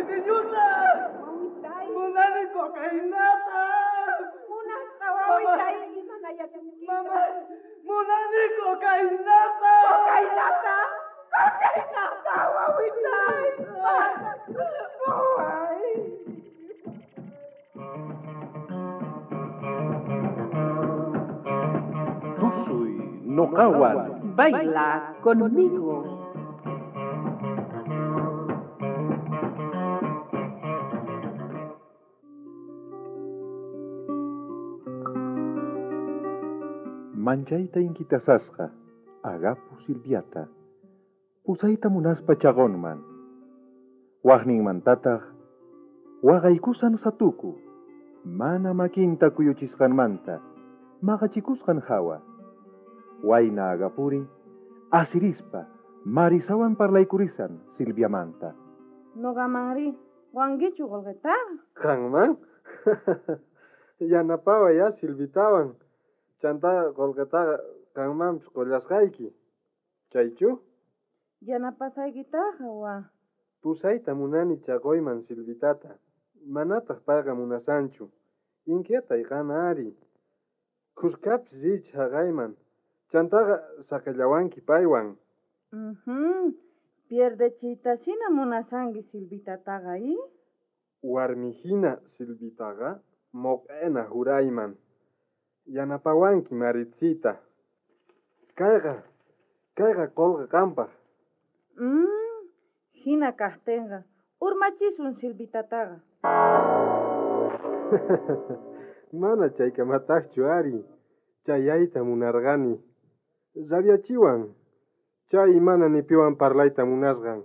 Aceitiñuta! Wawitay. Munani cocainata! Munasqa wawitay, imana yachanki. Mamá, munani cocainata! Cocainata! Cocainata, wawitay! Waway! Tusuy noqawan. Baila conmigo. Manchayta inkitasasqa, Agapu Silviata. Pusayta munaspa chaqonman. Waqninmantataq, waqaykusan satuku. Mana makinta kuyuchisqanmanta, maqachikusqan hawa. Wayna Agapuri, asirispa, Marisawan parlaykurisan Silviamanta. Noqamanri, wankichu qullqitaqa? Qanman? Yanapaway ya Silvitawan. Chanta qullqitaqa qanmanpis qullasqayki. Chaychu? Yanapasaykitaqa wa. Pusayta munani chaquyman Silvitata. Manataq payqa munasanchu. Inquietay qan ari. Khuskapis riychis haqayman. Chantaqa saqillawanki paywan. Pierdechiytasina munasanki Silvitataqa, i? Warmihina Silvitaqa moq'ena jurayman. Yanapawanki Maritsita. Kayqa, kayqa qullqi qampaq. Hina kaqtinqa, urmachisun Silvitataqa. Mana chaykamataqchu ari. Chayayta munarqani. Rabiachiwan. Chay mana ni piwan parlayta munasqan.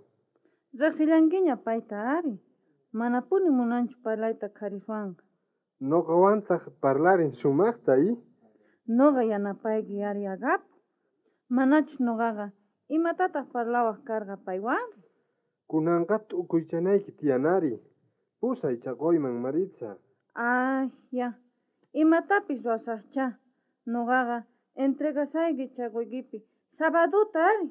Riqsillankiña payta ari. Manapuni munanchu parlayta qhariswanqa. Noqawantaq parlarin sumaqta, i? Noqa yanapayki ari Agapu. Manachus noqaqa imatataq parlawaq karqa paywan? Kunanqa t'ukuychanayki tiyan ari. Pusay chaquyman, Maritza. Ay, ya. Imatapis ruwasaqchá. Noqaqa entregasayki chaquykipi sabaduta ari.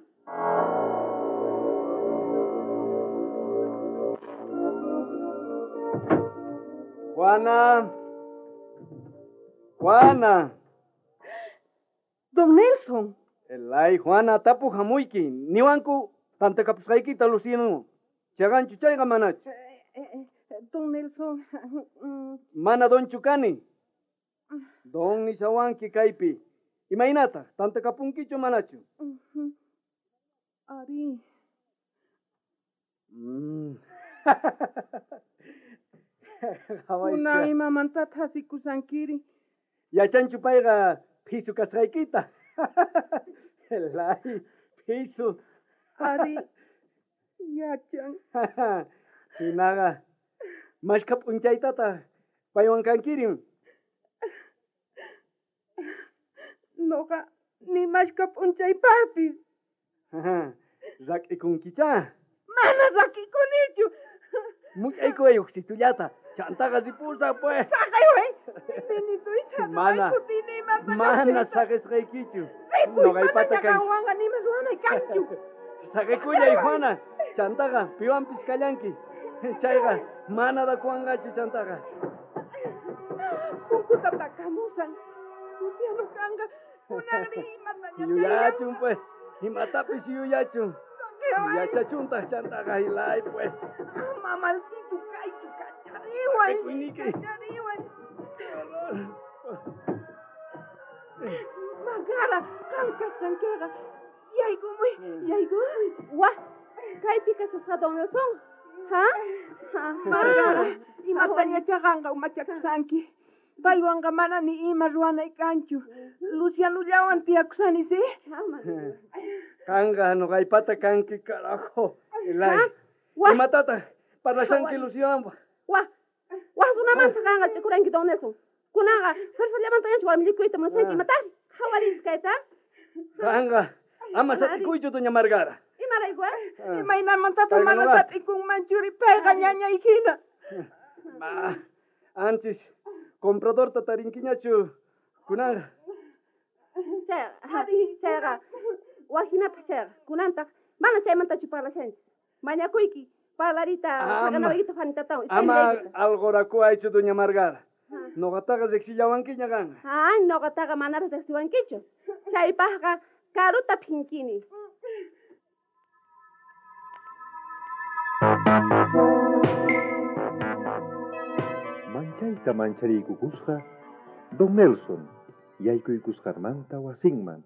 Juana. Juana. Don Nelson. Elay, Juana, tapu hamuyki. Niwanku tantakapusqaykita Luciano. Chaqanchu chayqa manachu. Don Nelson. Mana donchu kani. Don nishawanki kaypi. Imaynataq tantakapunkichu manachu? Ari. Kunan imamantataq asikusankiri? Yachanchu payqa phisu kasqaykita. Elay, phisu. Ari, yachan. Hinaqa, mashkha p'unchaytataq paywan kankirin? Noqa ni mashkha p'unchaypaqpis. Rak'ikunkichá. Mana rak'ikunichu. Much'aykuway uqsitullata. Chantaqa ripusaq pues. Saqayway. Nenituy, saqaway, Mana. kutini imata Mana kaqtiyta. saqisqaykichu. Ripuy, Noqaypata mana kanki. qanwanqa nima ruwanay kanchu. Saqikullay, Juana. Chantaqa piwanpis kallanki. Chayqa mana dakuwanqachu chantaqa. Punkuta takamusan. Luciano kanqa kunanri imataña Yuyachun pues. Imatapis yuyachun. Saqeway. Yachachuntaq chantaqa hilay pues. Ama maldito kaychu, kachariway. Saqekuyniki. Kachariway. Magara, qam kasqankiqa. Yaykumuy, yaykumuy. Wa, kaypi kasasqa Don Nelson. Ha? Ha, Margara, imataña chaqanqa umachakusanki. Paywanqa mana ni ima ruwanay kanchu. Lucianollawan tiyakusani, ¿sí? Qanqa noqaypata kanki, carajo. Elay. Ha? Wa. Imatataq parlashanki Lucianowan? Wa, wa runamanta qanqa ch'ikuranki Don Nelson. Kunanqa fuerzallamantañachu warmillikuyta munashanki, imatari? Qhawaris kayta. Qanqa ama sat'ikuychu, doña Margara. Imarayku, eh? Imaynamantataq Payqa mana noqa. sat'ikunman churi, payqa ñañay hina. Ma, antes compradorta tarinkiñachu kunanqa. Chayqa, chayqa, wajinataq chayqa, kunantaq mana chaymantachu parlashanchis. Mañakuyki, Parlarita, saqanawaykita Juanitatawan. Ama algorakuaychu, doña Margara. Noqataqa riqsillawankiña qanqa. Ah, noqataqa manaraq riqsiwankichu. Chaypaqqa karuta phinkini. Manchayta manchariykukusqa Don Nelson yaykuykusqanmanta wasinman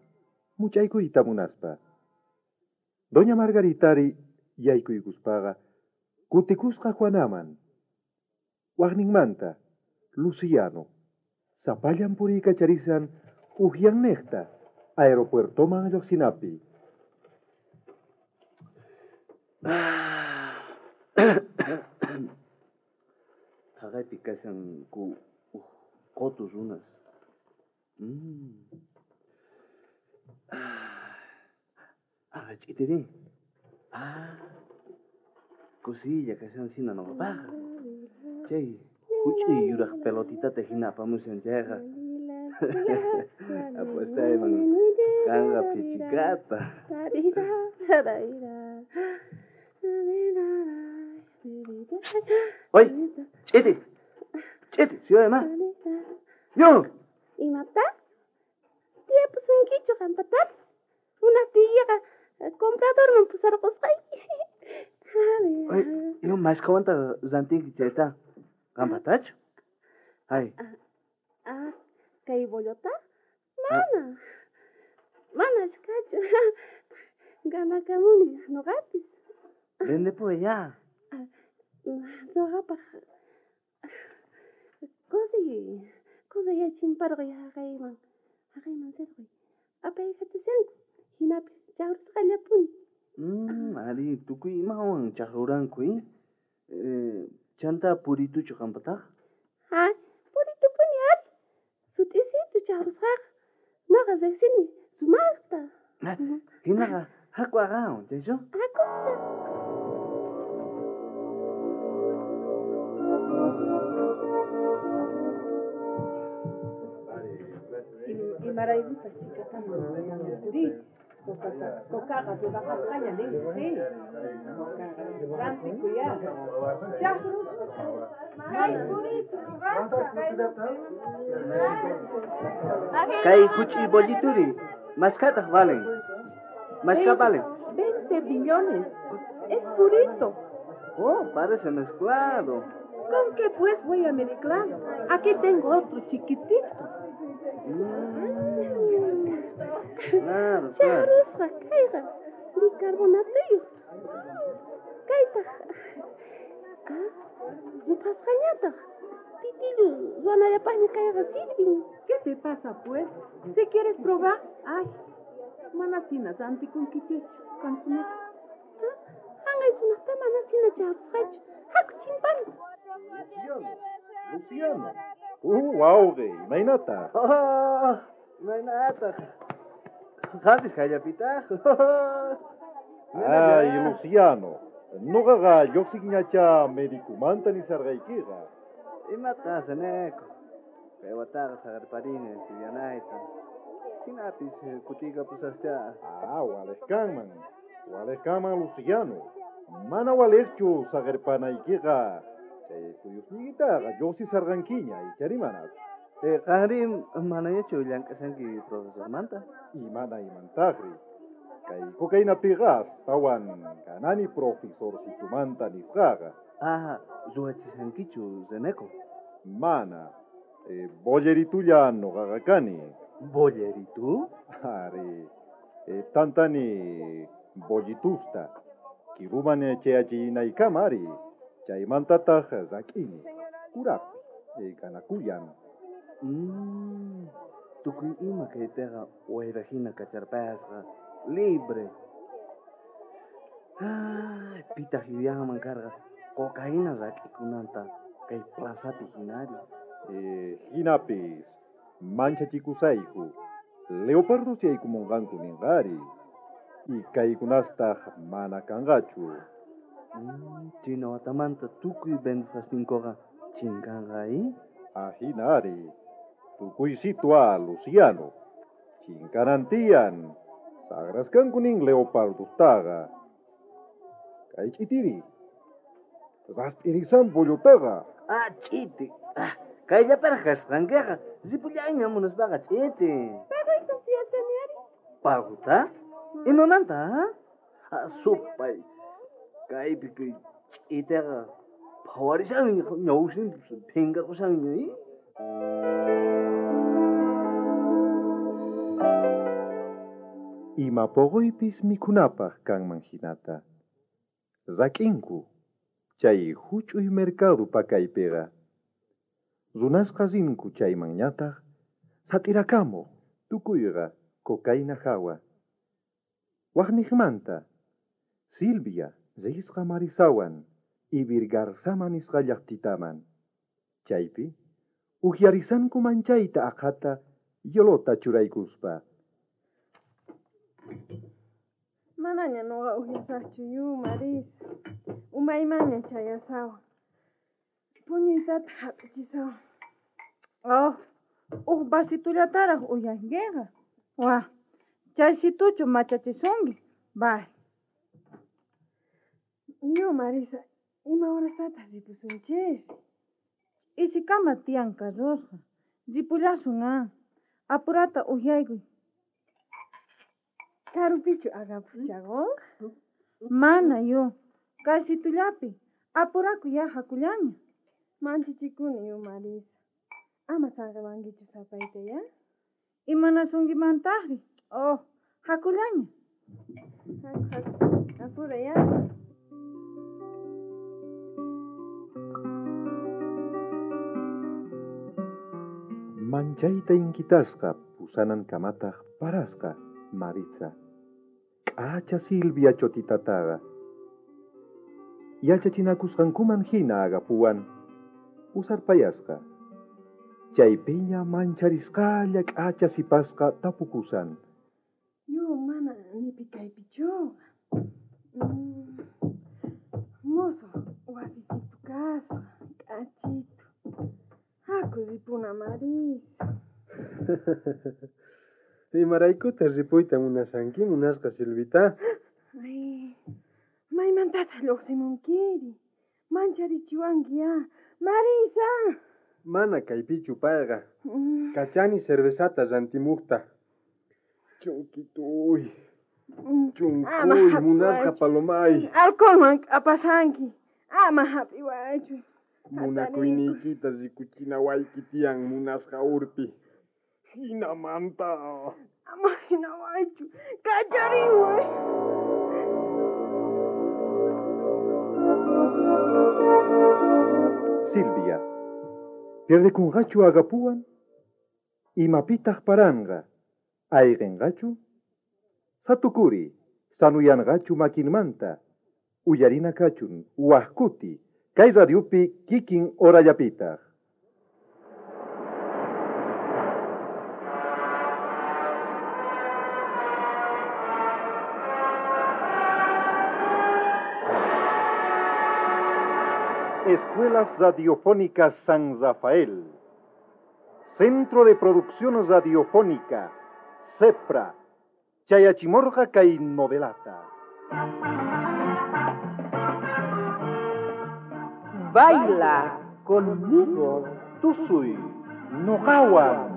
much'aykuyta munaspa. Doña Margaritari yaykuykuspaqa kutikusqa Juanaman. Waqninmanta Luciano sapallan puriykacharisan ujyannejta aeropuertoman lluqsinapi. Jaqaypi kashanku uj qotu runas. Ah, ch'itiri. Ah, kusilla kashan sina noqapaqqa. Chay huch'uy yuraq pelotitata hina apamushan chayqa. Apostayman kanqa phichikata. Oy, ch'iti. Ch'iti, suyayma. Yo. Imata? Tiyapusunkichu qampatapis? Munaqtiykiqa compradorman pusarqusqayki. Oy, yo mashkhawanta rantinki chayta. Qampatachu? Ay. Ah, kay bollota? Mana. Mana achkachu. Ganakamuni noqapis. Vendepuy ya. Noqapaq kusay chimparqay haqayman. Haqayman sirquy. Apaykachashanku. Hinapis chaqrusqallapuni. Ari, tukuy imawan chaqruranku, Chanta purituchu qampataq? Ha, puritupuni ari. Sut'isitu chaqrusqaqa. Noqa riqsini sumaqta. Hinaqa haku aqawan, chaychu? Hakupsa. Imaraykutaq chikataman ri? Cocaqa ruraqasqaña nin, sí. Rantikuya. Kay huch'uy bollituri, mashkhataq valen. Mashkha valen. 20 millones. Es purito. Oh, parece mezclado. ¿Con qué pues voy a mezclar? Aquí tengo otro chiquitito. Claro, claro. Chaqrusqa kayqa bicarbonatuyuq. Kaytaq ruphasqañataq. Pitillu ruwanallapaqña kayqa sirvin. ¿Qué te pasa pues? Si quieres probar, ay, mana hina rantikunkichikchu qamkunaqa. Hanqay sumaqta mana hina chaqrusqachu. Haku chimpana. Luciano, Luciano. Wawqi, imaynataq? Imaynataq? Qampis kayllapitaq. Ay, Luciano, noqaqa lluqsiqñacha medicumanta nisarqaykiqa. Imata haceneco? Kay wataqa saqerparini estudianayta. Hinapis kutiykapusaqcha. Ah, waliq kanman. Waliq kanman, Luciano. Mana waliqchu saqerpanaykiqa. Chay estudiosniykitaqa lluqsisarqankiña, ichari manachu. Qanri manañachu llank'ashanki profesormanta? Imana imantaqri. Kay cocainapiqa astawan ganani profesorcitumanta nisqaqa. Ah, ruwachishankichu, Reneco? Mana. Bolleritulla noqaqa kani. Bolleritu? Ari. Tantani bollitusta. Kiruman chayachinaykama ari. Chaymantataq rak'ini. Kuraqpi. Ganakuyan. Tukuy ima kaypiqa wayra hina kacharpasqa. Libre. Ay, pitaq yuyanman karqa cocaína rak'ikunanta kay plazapi hinari. Hinapis manchachikusayku. Leopardos yaykumunqanku ninqari. Y kaykunastaq mana kanqachu. China watamanta tukuy vendesqasninkuqa chinkanqa, Ajinari. Tukuy situa, Luciano. Chinkanantiyan. Sagraskanku nin leopardostaqa. Kay ch'itiri. Rasp'irisan bollutaqa. Ah, ch'iti. Ah, kayllaparaj kasqankiqa. Ripullayña munaspaqa ch'iti. Pagoyta suyashani ari. Paguta? Imamanta, ha? Ah, supay. Kaypi kay ch'itiqa phawarishanña, ñawsinpis phinkarqushanña, i? Ima poqoypis mikhunapaq kanman hinata. Rak'inku chay huch'uy mercado pakaypiqa. Runasqa rinku chaymanñataq sat'irakamuq tukuyqa cocaína hawa. Waqniqmanta Silvia risqa Marisawan Ibirgarzama nisqa llaqtitaman. Chaypi uhyarisanku manchayta aqhata yolota churaykuspa. Manaña noqa uhyasaqchu yu, Marisa. Umaymanña chayasawan. Puñuytataq hap'ichisawan. Oh, uj vasitullataraq uyankiqa. Wah, chaysituchu machachisunki. Bay. Yu, Marisa, ima horastataq ripusunchis? Ch'isikama tiyan karrusqa. Ripullasun ah. Apurata uhyaykuy. Karupichu Agapu chaqunqa? Mana yu, kaysitullapi. Apurakuy ya hakullaña. Manchichikuni yu, Marisa. Ama saqewankichu sapayta ya. Imanasunkimantajri? Oh, hakullaña. Haku, haku. Apura ya. Manchayta inkitasqa pusanan kamataq parasqa Maritza. K'acha Silvia chotitataqa. Yachachinakusqankuman hina Agapuwan pusarpayasqa. Chaypiña mancharisqalla k'acha sipasqa tapukusan. Yu, mana nipi kaypichuqa. Musuq wasisitu kasqa, k'achitu. Haku ripuna, Marisa. Imaraykutaq ripuyta munashanki, munasqa Silvita? Ay, maymantataq lluqsimunkiri? Mancharichiwanki ya. Marisa! Mana kaypichu payqa. Kachani cervezata rantimuqta. Chunkituy. Chunkuy, munasqa palomay. Alcoholman k'apasanki. Ama hap'iwaychu. Munakuyniykita rikuchinawayki tiyan munasqa urpi. Hinamanta. Ama hinawaychu. Kachariway. Silvia, pierdekunqachu Agapuwan? Imapitaq paranqa? Ayqinqachu? Satukuri, sanuyanqachu makinmanta? Uyarina kachun, waqkuti, kay radiopi kikin horallapitaq. Escuelas Radiofónicas San Rafael. Centro de Producción Radiofónica, CEPRA. Chayachimorga kay novelata. Baila conmigo. Tusuy, noqawan.